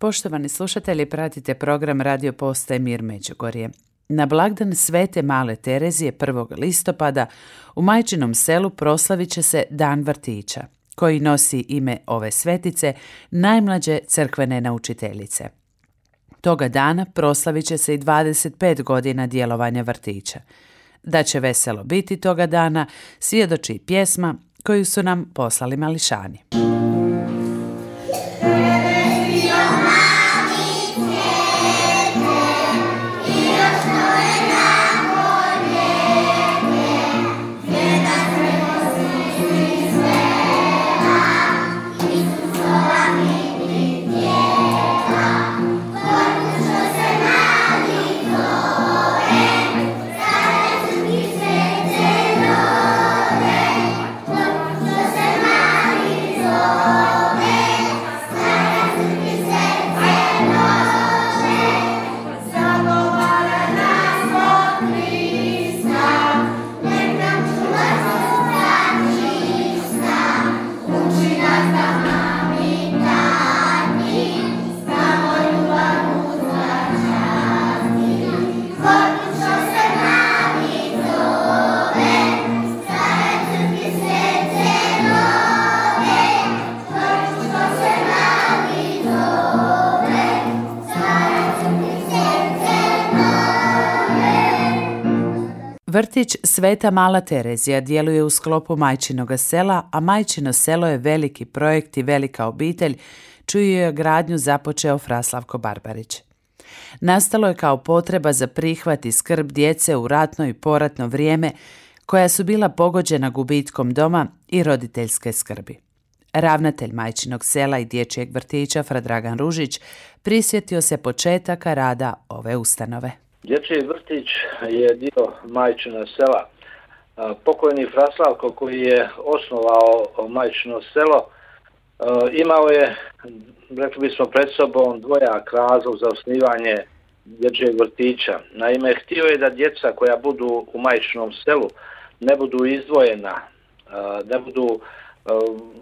Poštovani slušatelji, pratite program Radio Postaje Mir Međugorje. Na blagdan Svete Male Terezije 1. listopada u Majčinom selu proslavit će se Dan vrtića, koji nosi ime ove svetice, najmlađe crkvene naučiteljice. Toga dana proslavit će se i 25 godina djelovanja vrtića. Da će veselo biti toga dana svjedoči i pjesma koju su nam poslali mališani. Vrtić Sveta Mala Terezija djeluje u sklopu Majčinoga sela, a Majčino selo je veliki projekt i velika obitelj, čiju je gradnju započeo Fra Slavko Barbarić. Nastalo je kao potreba za prihvat i skrb djece u ratno i poratno vrijeme, koja su bila pogođena gubitkom doma i roditeljske skrbi. Ravnatelj Majčinog sela i dječjeg vrtića Fra Dragan Ružić prisjetio se početaka rada ove ustanove. Dječji vrtić je dio Majčina sela. Pokojni Fra Slavko, koji je osnovao Majčino selo, imao je, rekli bismo, pred sobom dvojak razlog za osnivanje dječjeg vrtića. Naime, htio je da djeca koja budu u Majčinom selu ne budu izdvojena, ne budu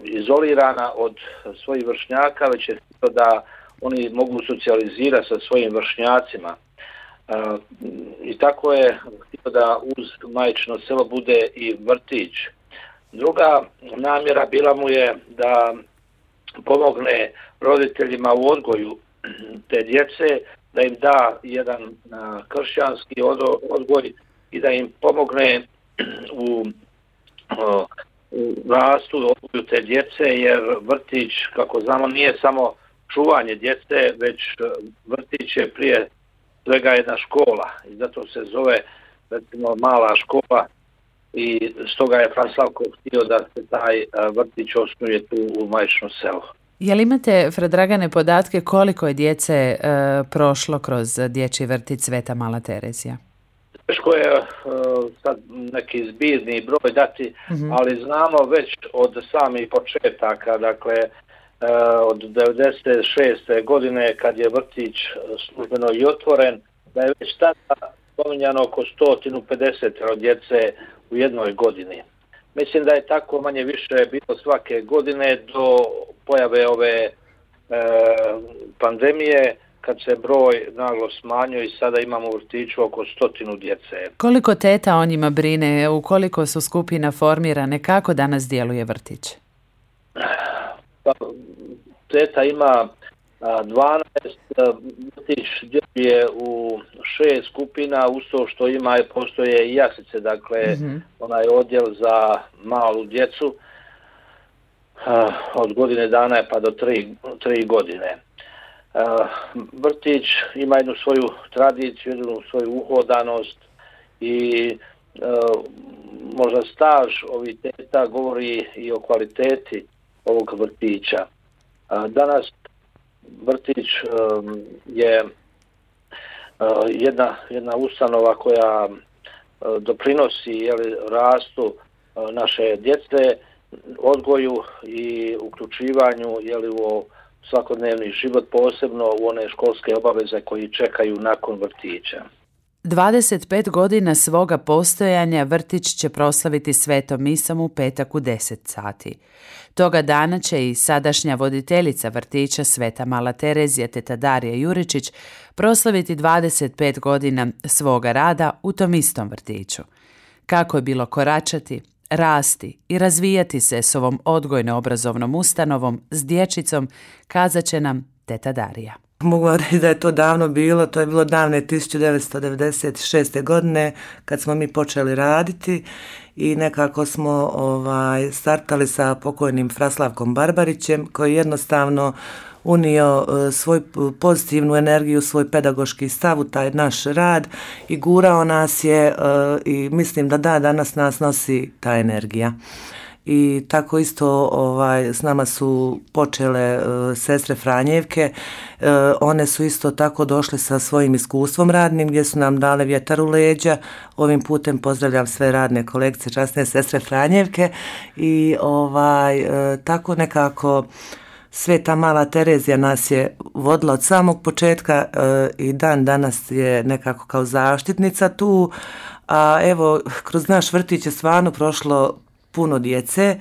izolirana od svojih vršnjaka, već je htio da oni mogu socijalizirati sa svojim vršnjacima. I tako je htio da uz Majčino selo bude i vrtić. Druga namjera bila mu je da pomogne roditeljima u odgoju te djece, da im da jedan kršćanski odgoj i da im pomogne u rastu odgoju te djece, jer vrtić, kako znamo, nije samo čuvanje djece, već vrtić je prije svega jedna škola i zato se zove, recimo, mala škola i stoga je Fra Slavko htio da se taj vrtić osnuje tu u Majčinom selu. Jel imate, Fra Dragane, podatke koliko je djece prošlo kroz dječji vrtić Sveta Mala Terezija? Teško je sad neki zbirni broj dati, ali znamo već od samih početaka, dakle od 96. godine kad je vrtić službeno i otvoren, da je već tada spominjano oko 150 djece u jednoj godini. Mislim da je tako manje više bilo svake godine do pojave ove pandemije, kad se broj naglo smanjio i sada imamo u vrtiću oko 100 djece. Koliko teta o njima brine, u koliko su skupina formirane, kako danas djeluje vrtić? Teta ima 12, vrtić djeluje u 6 skupina, uz to što ima i postoje i jaslice, dakle onaj odjel za malu djecu od godine dana pa do 3 godine. Vrtić ima jednu svoju tradiciju, jednu svoju uhodanost i možda staž ovih teta govori i o kvaliteti ovog vrtića. Danas vrtić je jedna ustanova koja doprinosi rastu naše djece, odgoju i uključivanju u svakodnevni život, posebno u one školske obaveze koji čekaju nakon vrtića. 25 godina svoga postojanja vrtić će proslaviti svetom misom u petak u 10 sati. Toga dana će i sadašnja voditeljica vrtića Sveta Mala Terezija teta Darija Juričić proslaviti 25 godina svoga rada u tom istom vrtiću. Kako je bilo koračati, rasti i razvijati se s ovom odgojno-obrazovnom ustanovom s dječicom, kazat će nam teta Darija. Mogu reći da je to davno bilo, to je bilo davne 1996. godine kad smo mi počeli raditi i nekako smo startali sa pokojnim Fraslavkom Barbarićem koji jednostavno unio svoju pozitivnu energiju, svoj pedagoški stav u taj naš rad i gurao nas je i mislim da danas nas nosi ta energija. I tako isto s nama su počele sestre Franjevke, one su isto tako došle sa svojim iskustvom radnim gdje su nam dale vjetar u leđa. Ovim putem pozdravljam sve radne kolegice, časne sestre Franjevke i tako nekako Sveta Mala Terezija nas je vodila od samog početka i dan danas je nekako kao zaštitnica tu, a evo kroz naš vrtić je stvarno prošlo puno djece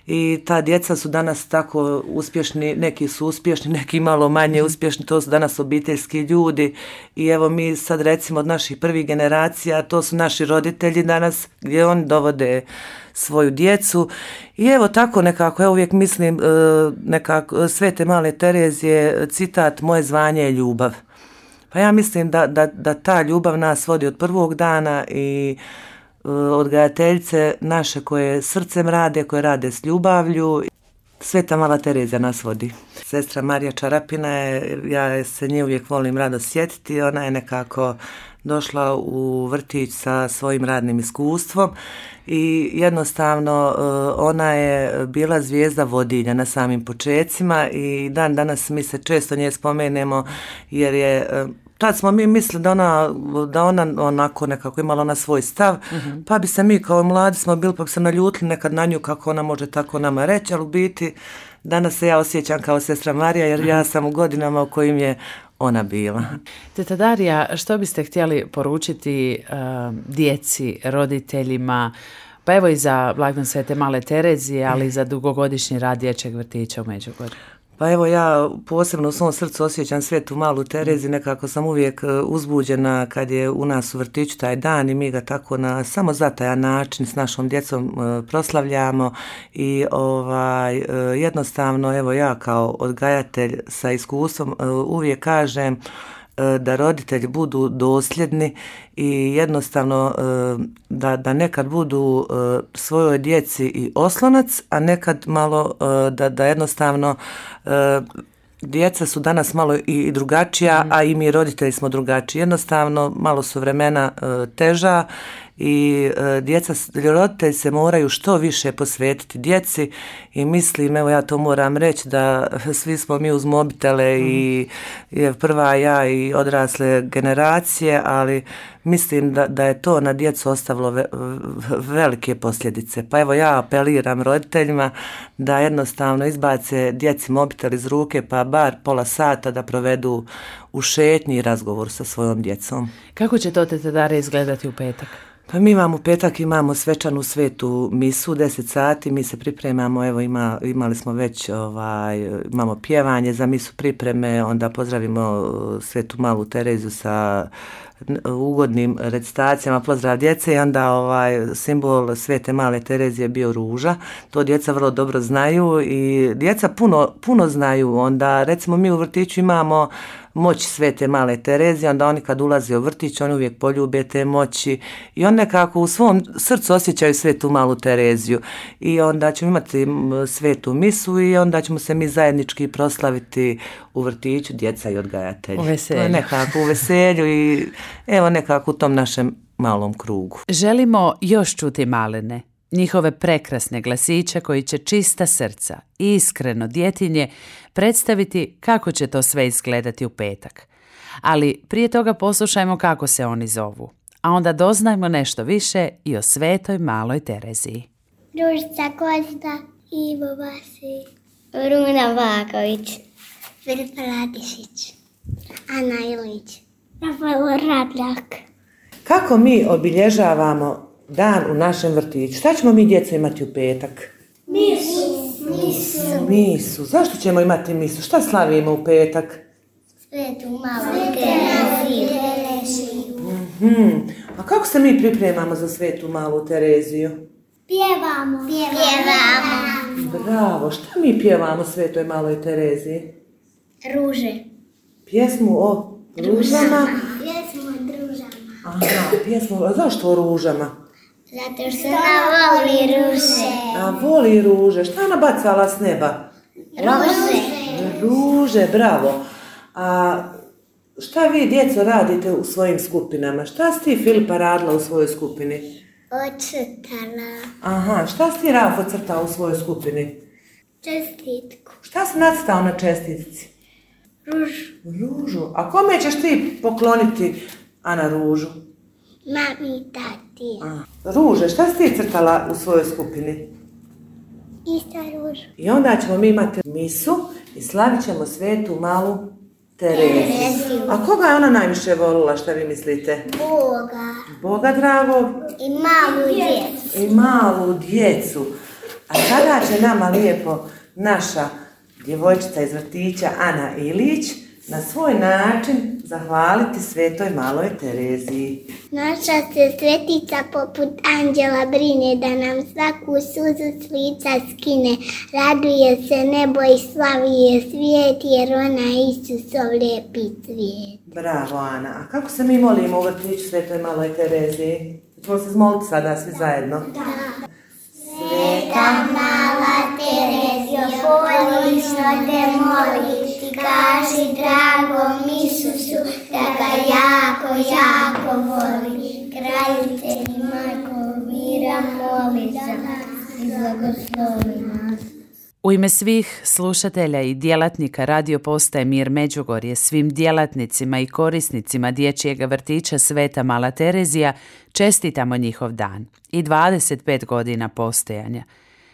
i ta djeca su danas tako uspješni, neki su uspješni, neki malo manje uspješni, to su danas obiteljski ljudi i evo mi sad recimo od naših prvih generacija, to su naši roditelji danas gdje oni dovode svoju djecu i evo tako nekako, ja uvijek mislim nekako Svete Male Terezije, citat moje zvanje je ljubav. Pa ja mislim da ta ljubav nas vodi od prvog dana i odgajateljice naše koje srcem rade, koje rade s ljubavlju. Sveta Mala Terezija nas vodi. Sestra Marija Čarapina je, ja se nje uvijek volim rado sjetiti, ona je nekako došla u vrtić sa svojim radnim iskustvom i jednostavno ona je bila zvijezda vodilja na samim počecima i dan danas mi se često nje spomenemo jer je tad smo mi mislili da ona onako nekako imala ona svoj stav, pa bi se mi kao mladi smo bili pa bi se naljutili nekad na nju kako ona može tako nama reći, ali u biti danas se ja osjećam kao sestra Marija jer ja sam u godinama u kojim je ona bila. Teta Darija, što biste htjeli poručiti djeci, roditeljima, pa evo i za blagdan Svete Male Terezije, ali i za dugogodišnji rad dječjeg vrtića u Međugorju? Pa evo ja posebno u svom srcu osjećam Svetu Malu Tereziju, nekako sam uvijek uzbuđena kad je u nas u vrtiću taj dan i mi ga tako na samo zatajan način s našom djecom proslavljamo i jednostavno evo ja kao odgajatelj sa iskustvom uvijek kažem da roditelji budu dosljedni i jednostavno da nekad budu svojoj djeci i oslonac, a nekad malo da jednostavno djeca su danas malo i drugačija, a i mi roditelji smo drugačiji. Jednostavno malo su vremena teža i roditelji se moraju što više posvetiti djeci i mislim, evo ja to moram reći da svi smo mi uz mobitele i prva ja i odrasle generacije, ali mislim da je to na djecu ostavilo velike posljedice. Pa evo ja apeliram roditeljima da jednostavno izbace djeci mobitel iz ruke pa bar pola sata da provedu u šetnji i razgovor sa svojom djecom. Kako će to teta Darija izgledati u petak? Pa mi imamo petak, imamo svečanu svetu misu, 10 sati, mi se pripremamo, evo imali smo već, imamo pjevanje za misu pripreme, onda pozdravimo Svetu Malu Tereziju sa ugodnim recitacijama, pozdrav djece i onda simbol Svete Male Terezije je bio ruža, to djeca vrlo dobro znaju i djeca puno znaju, onda recimo mi u vrtiću imamo moć Svete Male Terezije, onda oni kad ulaze u vrtić, oni uvijek poljube te moći i oni nekako u svom srcu osjećaju Svetu Malu Tereziju i onda ćemo imati svetu misu i onda ćemo se mi zajednički proslaviti u vrtiću, djeca i odgajatelji. U veselju. Nekako u veselju i evo nekako u tom našem malom krugu. Želimo još čuti malene, njihove prekrasne glasiće koji će čista srca i iskreno djetinje predstaviti kako će to sve izgledati u petak. Ali prije toga poslušajmo kako se oni zovu, a onda doznajmo nešto više i o Svetoj Maloj Tereziji. Ružica Kozda, Ivo Vasić, Runa Vaković, Filipa Ladišić, Ana Ilić, Rafael Radljak, Kako mi obilježavamo dan u našem vrtiću? Šta ćemo mi djeco imati u petak? Misu. Zašto ćemo imati misu? Šta slavimo u petak? Svetu malu Tereziju. A kako se mi pripremamo za Svetu malu Tereziju? Pjevamo. Bravo, šta mi pjevamo Svetoj maloj Tereziji? Ruže. Pjesmu o ružama? Pjesmu o družama. Aha, pjesmu, a zašto o ružama? Zato što ona voli ruže. A voli ruže, šta ona bacala s neba? Ruže, bravo. A šta vi djeco radite u svojim skupinama? Šta si ti Filipa radila u svojoj skupini? Ocrtala. Aha, šta si ti Rafo crtao u svojoj skupini? Čestitku. Šta si nacrtao na čestitici? Ružu. A kome ćeš ti pokloniti, Ana, ružu? Mami i tati. Ruže, šta si ti crtala u svojoj skupini? Isto ružu. I onda ćemo mi imati misu i slavit ćemo Svetu malu Tereziju. A koga je ona najviše volila, šta vi mislite? Boga dragog? I malu djecu. A sada će nama lijepo naša djevojčica iz vrtića Ana Ilić na svoj način zahvaliti Svetoj maloj Tereziji. Naša se svetica poput anđela brine da nam svaku suzu s lica skine. Raduje se nebo i slavi je svijet jer ona Isusov lijepi cvijet. Bravo, Ana. A kako se mi molimo u vrtiću Svetoj maloj Tereziji? Ćemo se zmoliti sada svi zajedno? Da. Sveta mala Terezio, voliš što te moliš, ti kaži dragom Isusu da ga jako voli. Kraljice i majko mira, moli za nas i blagoslovi nas. U ime svih slušatelja i djelatnika radio postaje Mir Međugorje, svim djelatnicima i korisnicima dječjeg vrtića Sveta mala Terezija čestitamo njihov dan i 25 godina postojanja.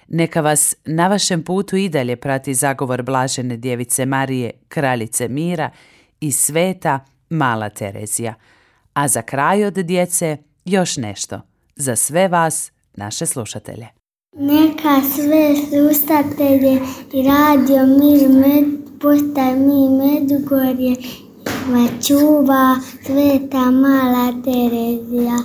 Neka vas na vašem putu i dalje prati zagovor Blažene Djevice Marije, Kraljice mira i Sveta mala Terezija. A za kraj od djece još nešto za sve vas, naše slušatelje. Neka sve slušatelje i radio Mir postaje Mir Međugorje va čuva Sveta mala Terezija.